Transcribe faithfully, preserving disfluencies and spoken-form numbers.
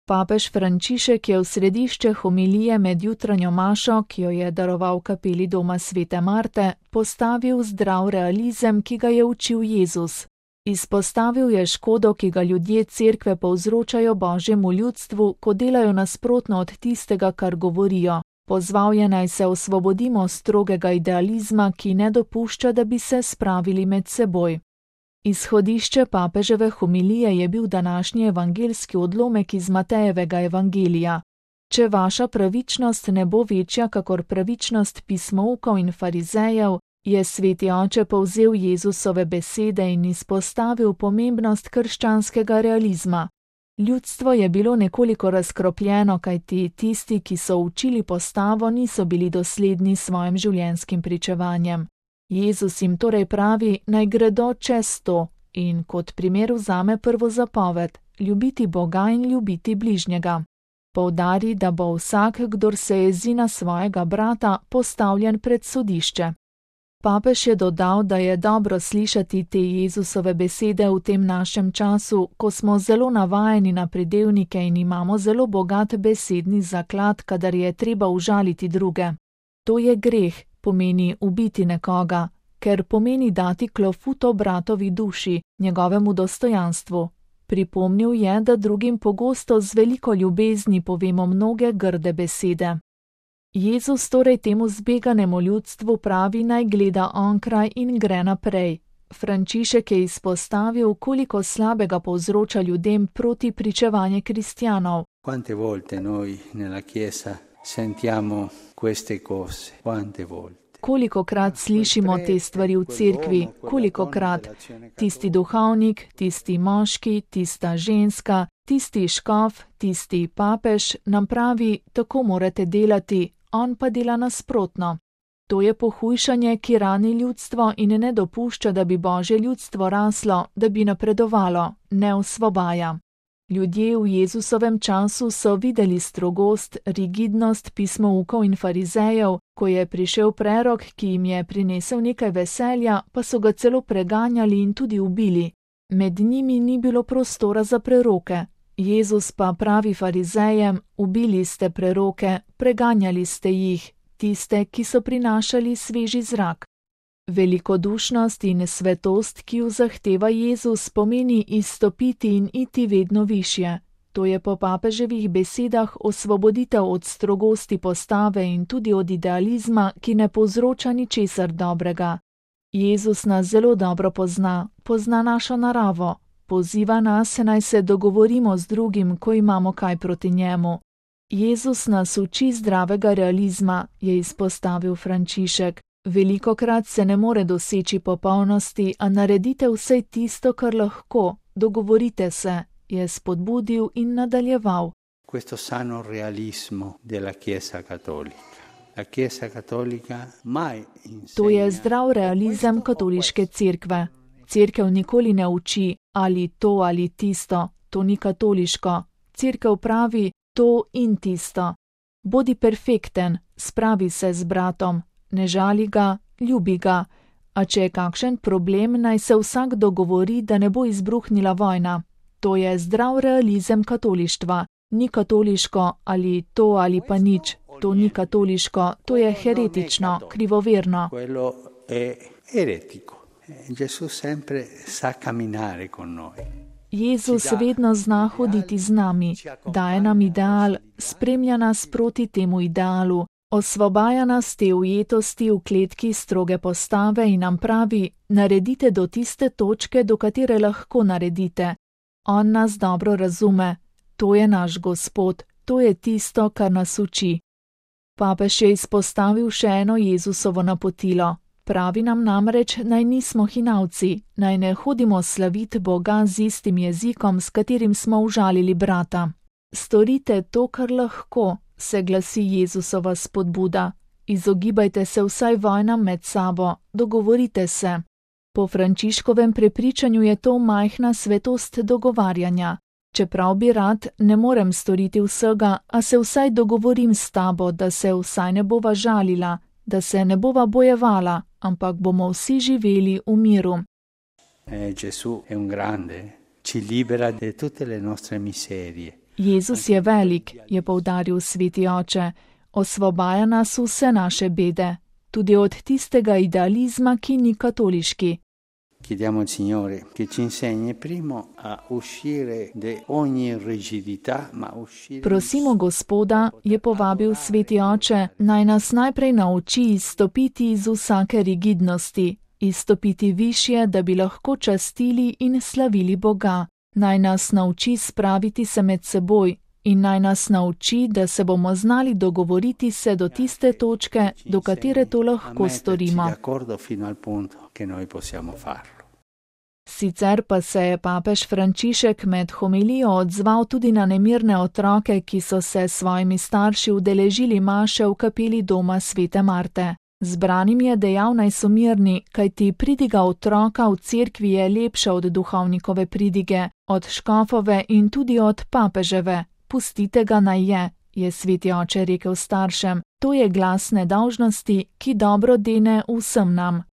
Papež Frančišek je v središče homilije med jutranjo mašo, ki jo je daroval kapeli doma svete Marte, postavil zdrav realizem, ki ga je učil Jezus. Izpostavil je škodo, ki ga ljudje cerkve povzročajo Božjemu ljudstvu, ko delajo nasprotno od tistega, kar govorijo. Pozval je, naj se osvobodimo strogega idealizma, ki ne dopušča, da bi se spravili med seboj. Izhodišče papeževe homilije je bil današnji evangeljski odlomek iz Matejevega evangelija. Če vaša pravičnost ne bo večja kakor pravičnost pismoukov in farizejev, je sveti oče povzel Jezusove besede in izpostavil pomembnost krščanskega realizma. Ljudstvo je bilo nekoliko razkropljeno, kajti tisti, ki so učili postavo, niso bili dosledni s svojim življenjskim pričevanjem. Jezus jim torej pravi, naj gredo čez to in kot primer vzame prvo zapoved, ljubiti Boga in ljubiti bližnjega. Poudari, da bo vsak, kdor se jezi na svojega brata, postavljen pred sodišče. Papež je dodal, da je dobro slišati te Jezusove besede v tem našem času, ko smo zelo navajeni na pridevnike in imamo zelo bogat besedni zaklad, kadar je treba užaliti druge. To je greh, pomeni ubiti nekoga, ker pomeni dati klofuto bratovi duši, njegovemu dostojanstvu. Pripomnil je, da drugim pogosto z veliko ljubezni povemo mnoge grde besede. Jezus torej temu zbeganemu ljudstvu pravi, naj gleda onkraj in gre naprej. Frančišek je izpostavil, koliko slabega povzroča ljudem proti pričevanje kristjanov. Quante volte noi nella chiesa sentiamo queste cose, quante volte. Kolikokrat slišimo te stvari v cerkvi, kolikokrat tisti duhovnik, tisti moški, tista ženska, tisti škof, tisti papež nam pravi, tako morate delati, on pa dela nasprotno. To je pohujšanje, ki rani ljudstvo in ne dopušča, da bi Božje ljudstvo raslo, da bi napredovalo, ne osvobaja. Ljudje v Jezusovem času so videli strogost, rigidnost pismoukov in farizejev, ko je prišel prerok, ki jim je prinesel nekaj veselja, pa so ga celo preganjali in tudi ubili. Med njimi ni bilo prostora za preroke. Jezus pa pravi farizejem, ubili ste preroke, preganjali ste jih, tiste, ki so prinašali sveži zrak. Velikodušnost in svetost, ki jo zahteva Jezus, pomeni izstopiti in iti vedno višje. To je po papeževih besedah osvoboditev od strogosti postave in tudi od idealizma, ki ne povzroča ničesar dobrega. Jezus nas zelo dobro pozna, pozna našo naravo, poziva nas, naj se dogovorimo z drugim, ko imamo kaj proti njemu. Jezus nas uči zdravega realizma, je izpostavil Frančišek. Velikokrat se ne more doseči popolnosti, a naredite vsaj tisto, kar lahko, dogovorite se, je spodbudil in nadaljeval. Questo sano realismo della Chiesa cattolica. La Chiesa cattolica mai insegna. To je zdrav realizem katoliške cerkve. Cerkev nikoli ne uči ali to ali tisto, to ni katoliško. Cerkev pravi to in tisto. Bodi perfekten, spravi se z bratom. Ne žali ga, ljubi ga, a če je kakšen problem, naj se vsak dogovori, da ne bo izbruhnila vojna. To je zdrav realizem katolištva. Ni katoliško ali to ali pa nič. To ni katoliško, to je heretično, krivoverno. Quello è eretico. Gesù sempre sa camminare con noi. Jezus vedno zna hoditi z nami, daje nam ideal, spremlja nas proti temu idealu. Osvobaja nas te ujetosti v kletki stroge postave in nam pravi, naredite do tiste točke, do katere lahko naredite. On nas dobro razume, to je naš Gospod, to je tisto, kar nas uči. Papež je izpostavil še eno Jezusovo napotilo. Pravi nam namreč, naj nismo hinavci, naj ne hodimo slaviti Boga z istim jezikom, s katerim smo užalili brata. Storite to, kar lahko, se glasi Jezusova spodbuda. Izogibajte se vsaj vojnam med sabo, dogovorite se. Po Frančiškovem prepričanju je to majhna svetost dogovarjanja. Čeprav bi rad, ne morem storiti vsega, a se vsaj dogovorim s tabo, da se vsaj ne bova žalila, da se ne bova bojevala, ampak bomo vsi živeli v miru. Eh, Gesù è un grande, ci libera da tutte le nostre miserie. Jezus je velik, je poudaril sveti oče, osvobaja nas vse naše bede, tudi od tistega idealizma, ki ni katoliški. Chiediamo al Signore che ci insegni primo a uscire da ogni rigidità, ma uscire. Prosimo Gospoda, je povabil sveti oče, naj nas najprej nauči izstopiti iz vsake rigidnosti, izstopiti višje, da bi lahko častili in slavili Boga. Naj nas nauči spraviti se med seboj in naj nas nauči, da se bomo znali dogovoriti se do tiste točke, do katere to lahko storimo. Sicer pa se je papež Frančišek med homilijo odzval tudi na nemirne otroke, ki so se s svojimi starši udeležili maše v kapeli doma svete Marte. Zbranim je dejal, naj so mirni, kajti pridiga otroka v cerkvi je lepša od duhovnikove pridige, od škofove in tudi od papeževe. Pustite ga naj je, je sveti oče rekel staršem. To je glas nedolžnosti, ki dobro dene vsem nam.